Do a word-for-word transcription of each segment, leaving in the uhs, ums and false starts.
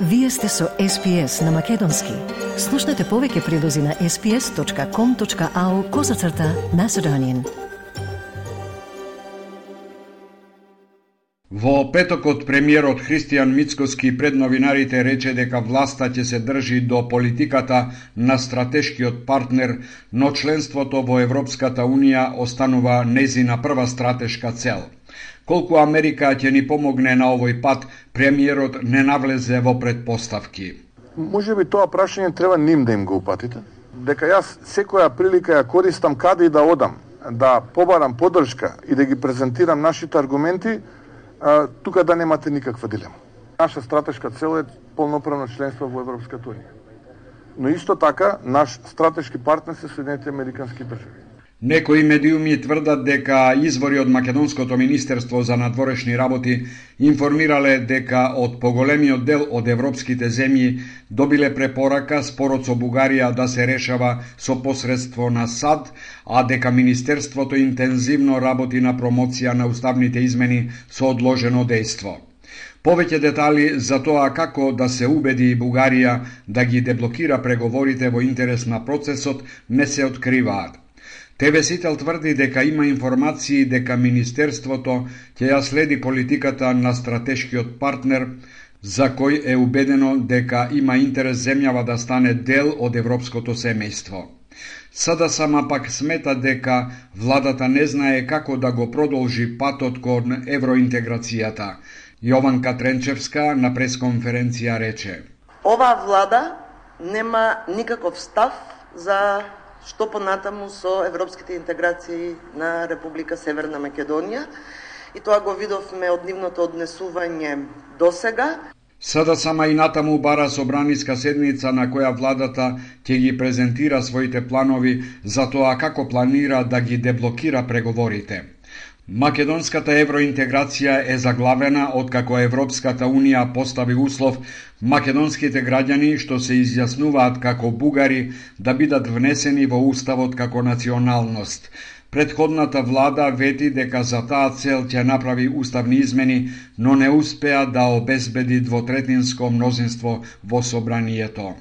Вие сте со Ес Пи Ес на Македонски. Слушнете повеќе прилози на ес пи ес точка ком точка ау козацрта Macedonian. Во петокот премиерот Христијан Мицкоски пред новинарите рече дека власта ќе се држи до политиката на стратешкиот партнер, но членството во Европската Унија останува нејзина прва стратешка цел. Колку Америка ќе ни помогне на овој пат, премиерот не навлезе во предпоставки. Може би тоа прашање треба ним да им го упатите. Дека јас секоја прилика ја користам каде и да одам, да побарам поддршка и да ги презентирам нашите аргументи, а, тука да немате никаква дилема. Наша стратешка цел е полноправно членство во Европската Унија. Но исто така, наш стратешки партнер се Соединетите Американски држави. Некои медиуми тврдат дека извори од Македонското министерство за надворешни работи информирале дека од поголемиот дел од европските земји добиле препорака спорот со Бугарија да се решава со посредство на САД, а дека министерството интензивно работи на промоција на уставните измени со одложено дејство. Повеќе детали за тоа како да се убеди Бугарија да ги деблокира преговорите во интерес на процесот не се откриваат. Те ве Сител тврди дека има информации дека Министерството ќе ја следи политиката на стратешкиот партнер, за кој е убедено дека има интерес земјава да стане дел од европското семејство. Сада сама пак смета дека владата не знае како да го продолжи патот кон евроинтеграцијата. Јованка Тренчевска на пресконференција рече: Ова влада нема никаков став за што понатаму со европските интеграции на Република Северна Македонија, и тоа го видовме од нивното однесување до сега. Сада сама и натаму бара собраниска седница на која владата ќе ги презентира своите планови за тоа како планира да ги деблокира преговорите. Македонската евроинтеграција е заглавена откако Европската Унија постави услов македонските граѓани што се изјаснуваат како бугари да бидат внесени во уставот како националност. Предходната влада вети дека за таа цел ќе направи уставни измени, но не успеа да обезбеди двотретинско мнозинство во собранието.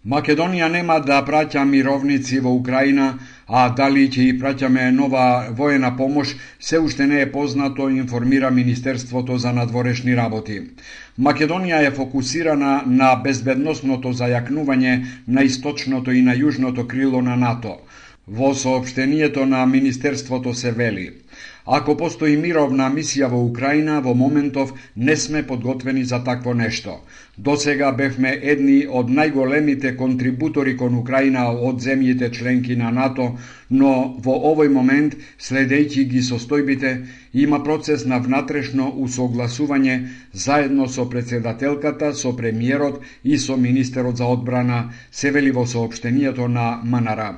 Македонија нема да праќа мировници во Украина, а дали ќе и праќаме нова воена помош, се уште не е познато, информира Министерството за надворешни работи. Македонија е фокусирана на безбедносното зајакнување на источното и на јужното крило на НАТО. Во соопштението на Министерството се вели: ако постои мировна мисија во Украина, во моментов не сме подготвени за такво нешто. До сега бевме едни од најголемите контрибутори кон Украина од земјите членки на НАТО, но во овој момент, следејќи ги состојбите, има процес на внатрешно усогласување заедно со председателката, со премиерот и со министерот за одбрана, се вели во соопштението на МНР.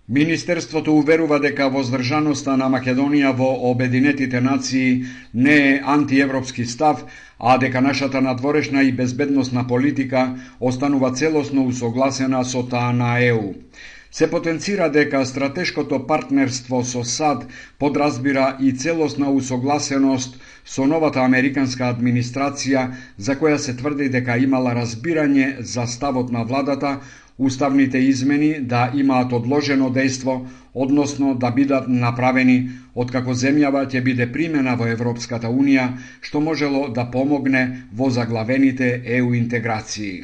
Министерството уверува дека воздржаноста на Македонија во Обединетите нации не е антиевропски став, а дека нашата надворешна и безбедносна политика останува целосно усогласена со таа на Е У. Се потенцира дека стратешкото партнерство со САД подразбира и целосна усогласеност со новата американска администрација, за која се тврди дека имала разбирање за ставот на владата, уставните измени да имаат одложено дејство, односно да бидат направени откако земјава ќе биде примена во Европската Унија, што можело да помогне во заглавените Е У интеграции.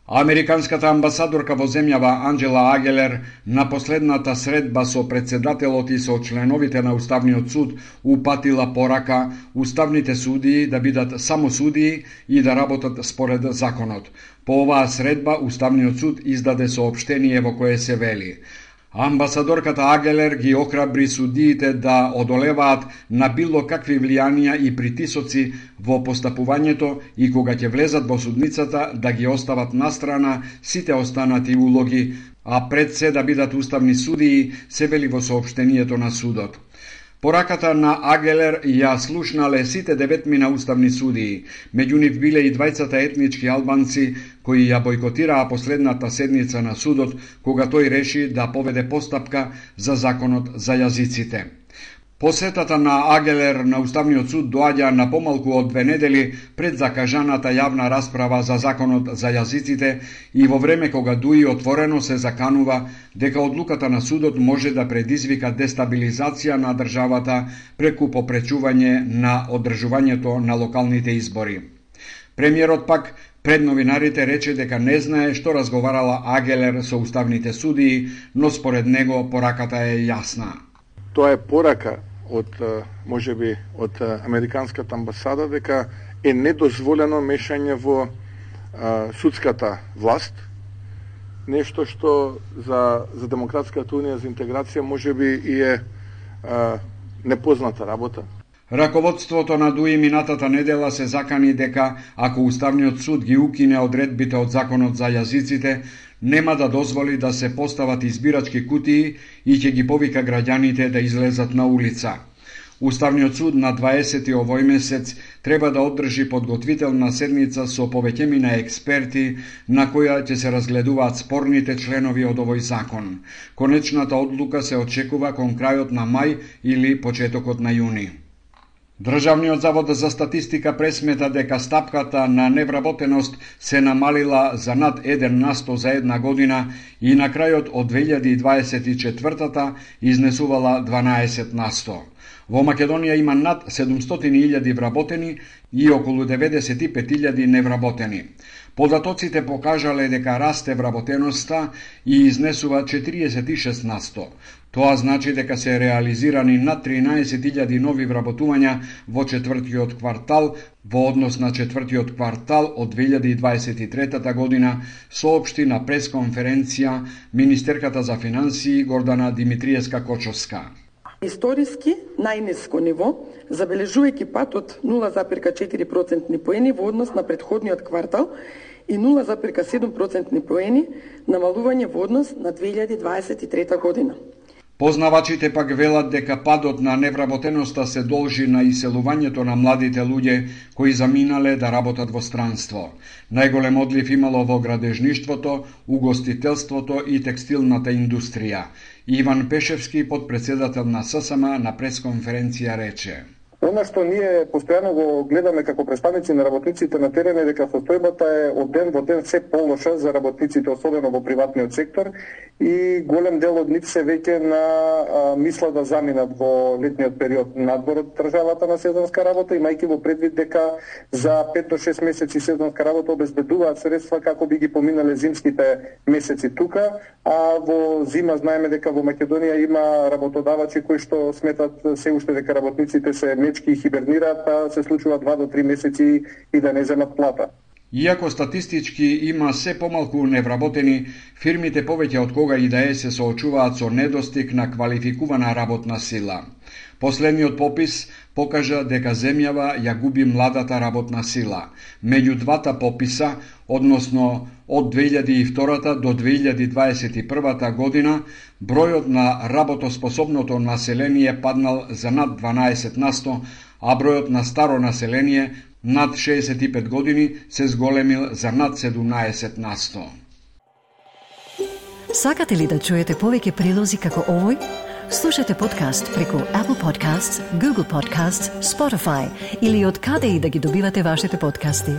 Американската амбасадорка во земјава Анџела Агелер на последната средба со председателот и со членовите на Уставниот суд упатила порака уставните судии да бидат само судии и да работат според законот. По оваа средба Уставниот суд издаде соопштение во кое се вели: амбасадорката Агелер ги охрабри судиите да одолеваат на било какви влијанија и притисоци во постапувањето и кога ќе влезат во судницата да ги остават настрана сите останати улоги, а пред се да бидат уставни судии, се вели во соопштението на судот. Пораката на Агелер ја слушнале сите деветмина уставни судии, меѓу нив биле и двајцата етнички албанци кои ја бойкотираа последната седница на судот, кога тој реши да поведе постапка за законот за јазиците. Посетата на Агелер на Уставниот суд доаѓа на помалку од две недели пред закажаната јавна расправа за законот за јазиците и во време кога дуи отворено се заканува дека одлуката на судот може да предизвика дестабилизација на државата преку попречување на одржувањето на локалните избори. Премиерот пак пред новинарите рече дека не знае што разговарала Агелер со уставните судии, но според него пораката е јасна. Тоа е порака од можеби од американската амбасада дека е недозволено мешање во а, судската власт, нешто што за за Демократската унија за интеграција можеби и е а, непозната работа. Раководството на ДУИ минатата недела се закани дека ако Уставниот суд ги укине одредбите од законот за јазиците, нема да дозволи да се постават избирачки кутии и ќе ги повика граѓаните да излезат на улица. Уставниот суд на дваесети овој месец треба да одржи подготвителна седница со повеќемина експерти на која ќе се разгледуваат спорните членови од овој закон. Конечната одлука се очекува кон крајот на мај или почетокот на јуни. Државниот завод за статистика пресмета дека стапката на невработеност се намалила за над еден на сто за една година и на крајот од две илјади и дваесет и четвртата изнесувала дванаесет на сто. Во Македонија има над седумстотини илјади вработени и околу деветдесет и пет илјади невработени. Податоците покажале дека расте вработеноста и изнесува четириесет и шест на сто. Тоа значи дека се реализирани над тринаесет илјади нови вработувања во четвртиот квартал во однос на четвртиот квартал од две илјади и дваесет и третата година, соопшти на пресконференција министерката за финансии Гордана Димитриевска-Кочовска. Историски најниско ниво, забележувајќи пат од нула запирка четири процентни поени во однос на претходниот квартал и нула запирка седум процентни поени намалување во однос на две илјади дваесет и трета година. Познавачите пак велат дека падот на невработеноста се должи на иселувањето на младите луѓе кои заминале да работат во странство. Најголем одлив имало во градежништвото, угостителството и текстилната индустрија. Иван Пешевски, подпредседател на ССМ, на пресконференција рече: Оно што ние постојано го гледаме како представници на работниците на терен е дека состојбата е од ден во ден се полоша за работниците, особено во приватниот сектор, и голем дел од нив се веќе на а, мисла да заминат во летниот период надвор од државата на сезонска работа, имајќи во предвид дека за пет до шест месеци сезонска работа обезбедуваат средства како би ги поминале зимските месеци тука, а во зима знаеме дека во Македонија има работодавачи кои што сметат се уште дека работниците се мечки и хибернираат, па се случува два до три месеци и да не земат плата. Иако статистички има се помалку невработени, фирмите повеќе од кога и да е се соочуваат со недостиг на квалификувана работна сила. Последниот попис покажа дека земјава ја губи младата работна сила. Меѓу двата пописа, односно од две илјади и втора до две илјади дваесет и прва година, бројот на работоспособното население паднал за над дванаесет на сто, а бројот на старо население над шеесет и пет години се зголемил за над седумнаесет на сто. Сакате ли да чуете повеќе прилози како овој? Слушате подкаст преку Apple Podcasts, Google Podcasts, Spotify или од каде и да ги добивате вашите подкасти.